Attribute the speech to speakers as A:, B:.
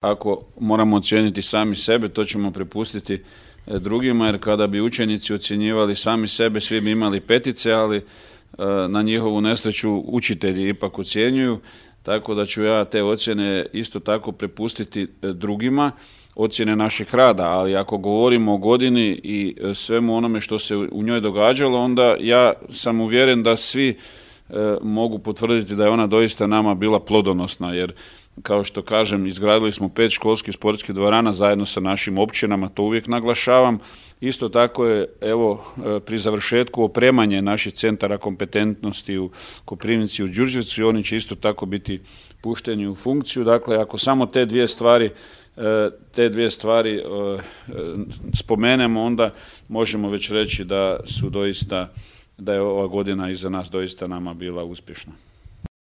A: Ako moramo ocijeniti sami sebe, to ćemo prepustiti drugima, jer kada bi učenici ocjenjivali sami sebe, svi bi imali petice, ali na njihovu nesreću učitelji ipak ocjenjuju, tako da ću ja te ocjene isto tako prepustiti drugima, ocjene našeg rada, ali ako govorimo o godini i svemu onome što se u njoj događalo, onda ja sam uvjeren da svi mogu potvrditi da je ona doista nama bila plodonosna, jer kao što kažem, izgradili smo 5 školskih sportskih dvorana zajedno sa našim općinama, to uvijek naglašavam. Isto tako je, evo, pri završetku opremanje naših centara kompetentnosti u Koprivnici i u Đurđevcu, i oni će isto tako biti pušteni u funkciju. Dakle, ako samo te dvije stvari spomenemo, onda možemo već reći da je ova godina iza nas doista nama bila uspješna.